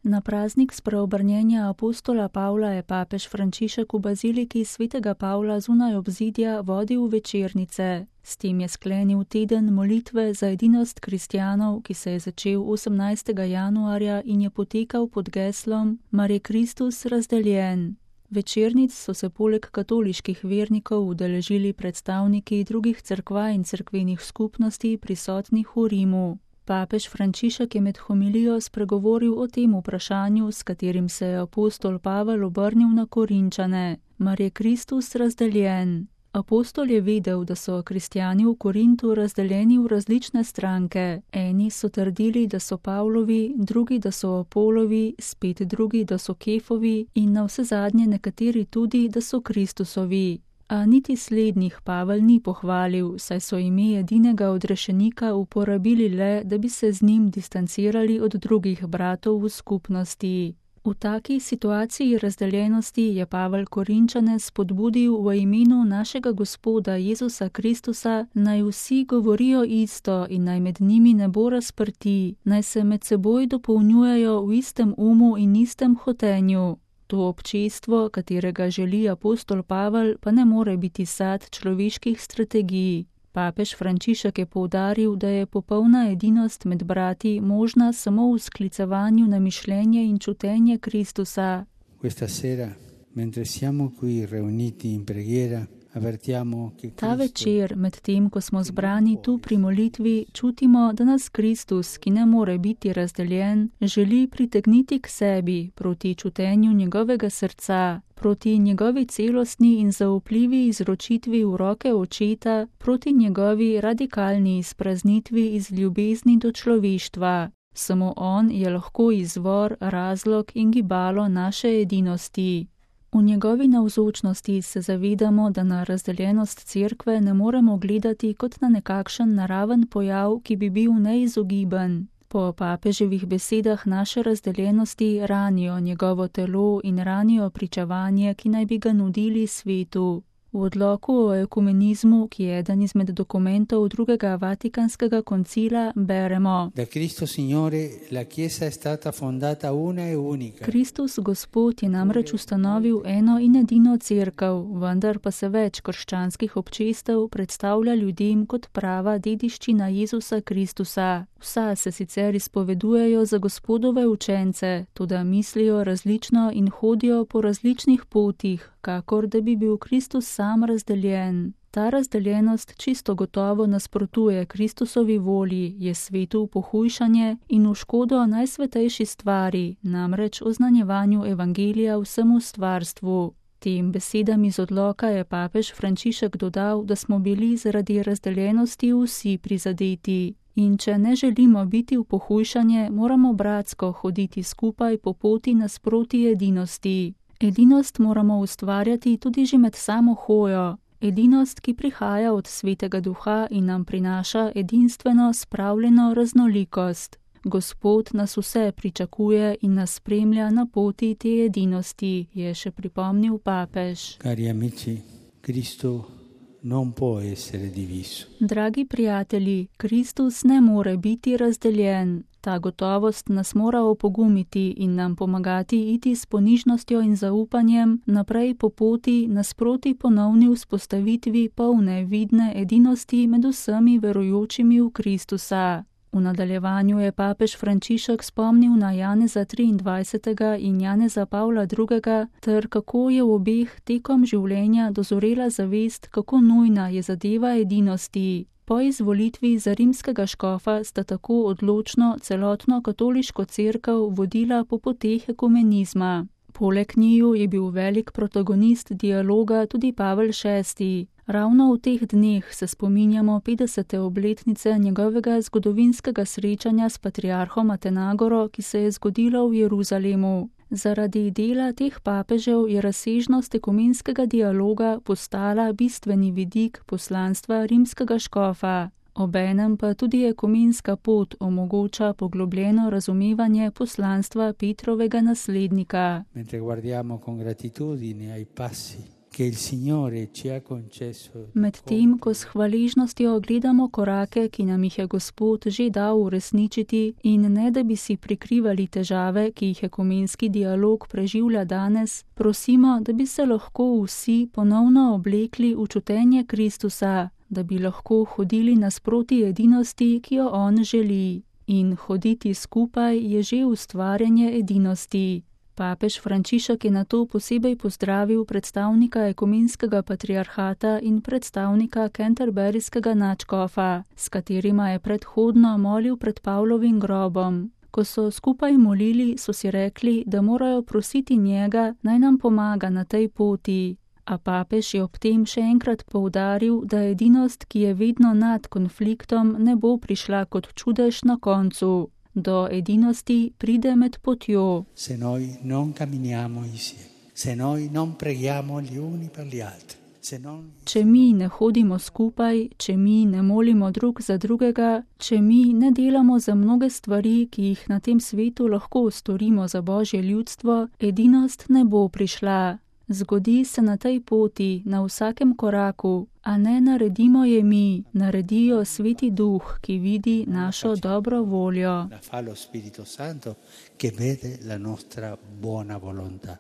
Na praznik spreobrnjenja apostola Pavla je papež Frančišek v baziliki svetega Pavla zunaj obzidja vodil večernice. S tem je sklenil teden molitve za edinost kristjanov, ki se je začel 18. januarja in je potekal pod geslom Mar je Kristus razdeljen. Večernic so se poleg katoliških vernikov udeležili predstavniki drugih cerkva in cerkvenih skupnosti prisotnih v Rimu. Papež Frančišek je med homilijo spregovoril o tem vprašanju, s katerim se je apostol Pavel obrnil na Korinčane. Mar je Kristus razdeljen? Apostol je vedel, da so kristjani v Korintu razdeljeni v različne stranke. Eni so trdili, da so Pavlovi, drugi, da so Apolovi, spet drugi, da so Kefovi in navsezadnje nekateri tudi, da so Kristusovi. A niti slednjih Pavel ni pohvalil, saj so ime edinega odrešenika uporabili le, da bi se z njim distancirali od drugih bratov v skupnosti. V taki situaciji razdeljenosti je Pavel Korinčane spodbudil v imenu našega Gospoda Jezusa Kristusa, naj vsi govorijo isto in naj med njimi ne bo razprti, naj se med seboj dopolnjujejo v istem umu in istem hotenju. To občestvo, katerega želi apostol Pavel, pa ne more biti sad človeških strategij. Papež Frančišek je poudaril, da je popolna edinost med brati možna samo v sklicevanju na mišljenje in čutenje Kristusa. Questa sera, mentre siamo qui riuniti in preghiera, Ta večer, med tem, ko smo zbrani tu pri molitvi, čutimo, da nas Kristus, ki ne more biti razdeljen, želi pritegniti k sebi, proti čutenju njegovega srca, proti njegovi celostni in zaupljivi izročitvi v roke Očeta, proti njegovi radikalni izpraznitvi iz ljubezni do človeštva. Samo on je lahko izvor, razlog in gibalo naše edinosti. V njegovi navzočnosti se zavedamo, da na razdeljenost cerkve ne moremo gledati kot na nekakšen naraven pojav, ki bi bil neizogiben. Po papeževih besedah naše razdeljenosti ranijo njegovo telo in ranijo pričevanje, ki naj bi ga nudili svetu. V odloku o ekumenizmu, ki je eden izmed dokumentov drugega Vatikanskega koncila, beremo: Kristus Gospod je namreč ustanovil eno in edino cerkev, vendar pa se več krščanskih občestev predstavlja ljudem kot prava dediščina Jezusa Kristusa. Vsa se sicer izpovedujejo za Gospodove učence, toda mislijo različno in hodijo po različnih potih, kakor da bi bil Kristus sam razdeljen. Ta razdeljenost čisto gotovo nasprotuje Kristusovi volji, je svetu v pohujšanje in v škodo najsvetejši stvari, namreč oznanjevanju evangelija vsemu stvarstvu. Tem besedam iz odloka je papež Frančišek dodal, da smo bili zaradi razdeljenosti vsi prizadeti. In če ne želimo biti v pohujšanje, moramo bratsko hoditi skupaj po poti nasproti edinosti. Edinost moramo ustvarjati tudi že med samo hojo. Edinost, ki prihaja od Svetega Duha in nam prinaša edinstveno spravljeno raznolikost. Gospod nas vse pričakuje in nas spremlja na poti te edinosti, je še pripomnil papež. Cari amici, Cristo non può essere diviso. Dragi prijatelji, Kristus ne more biti razdeljen. Ta gotovost nas mora opogumiti in nam pomagati iti s ponižnostjo in zaupanjem naprej po poti nasproti ponovni vzpostavitvi polne vidne edinosti med vsemi verujočimi v Kristusa. V nadaljevanju je papež Frančišek spomnil na Janeza 23. in Janeza Pavla II. Ter kako je v obeh tekom življenja dozorela zavest, kako nujna je zadeva edinosti. Po izvolitvi za rimskega škofa sta tako odločno celotno katoliško cerkev vodila po poteh ekumenizma. Poleg njiju je bil velik protagonist dialoga tudi Pavel VI. Ravno v teh dneh se spominjamo 50. obletnice njegovega zgodovinskega srečanja s patriarhom Atenagoro, ki se je zgodilo v Jeruzalemu. Zaradi dela teh papežev je razsežnost ekumenskega dialoga postala bistveni vidik poslanstva rimskega škofa. Obenem pa tudi ekumenska pot omogoča poglobljeno razumevanje poslanstva Petrovega naslednika. Medtem, ko s hvaležnostjo gledamo korake, ki nam jih je Gospod že dal uresničiti, in ne da bi si prikrivali težave, ki jih ekumenski dialog preživlja danes, prosimo, da bi se lahko vsi ponovno oblekli v čutenje Kristusa, da bi lahko hodili nasproti edinosti, ki jo on želi. In hoditi skupaj je že ustvarjanje edinosti. Papež Frančišek je nato posebej pozdravil predstavnika ekumenskega patriarhata in predstavnika Canterburyskega nadškofa, s katerima je predhodno molil pred Pavlovim grobom. Ko so skupaj molili, so si rekli, da morajo prositi njega, naj nam pomaga na tej poti. A papež je ob tem še enkrat poudaril, da edinost, ki je vedno nad konfliktom, ne bo prišla kot čudež na koncu. Do edinosti pride med potjo. Se noi non camminiamo insieme, se noi non preghiamo gli uni per gli altri. Če mi ne hodimo skupaj, če mi ne molimo drug za drugega, če mi ne delamo za mnoge stvari, ki jih na tem svetu lahko storimo za Božje ljudstvo, edinost ne bo prišla. Zgodi se na tej poti, na vsakem koraku, a ne naredimo je mi, naredijo Sveti Duh, ki vidi našo dobro voljo. La fa lo Spirito Santo, che vede la nostra buona volontà.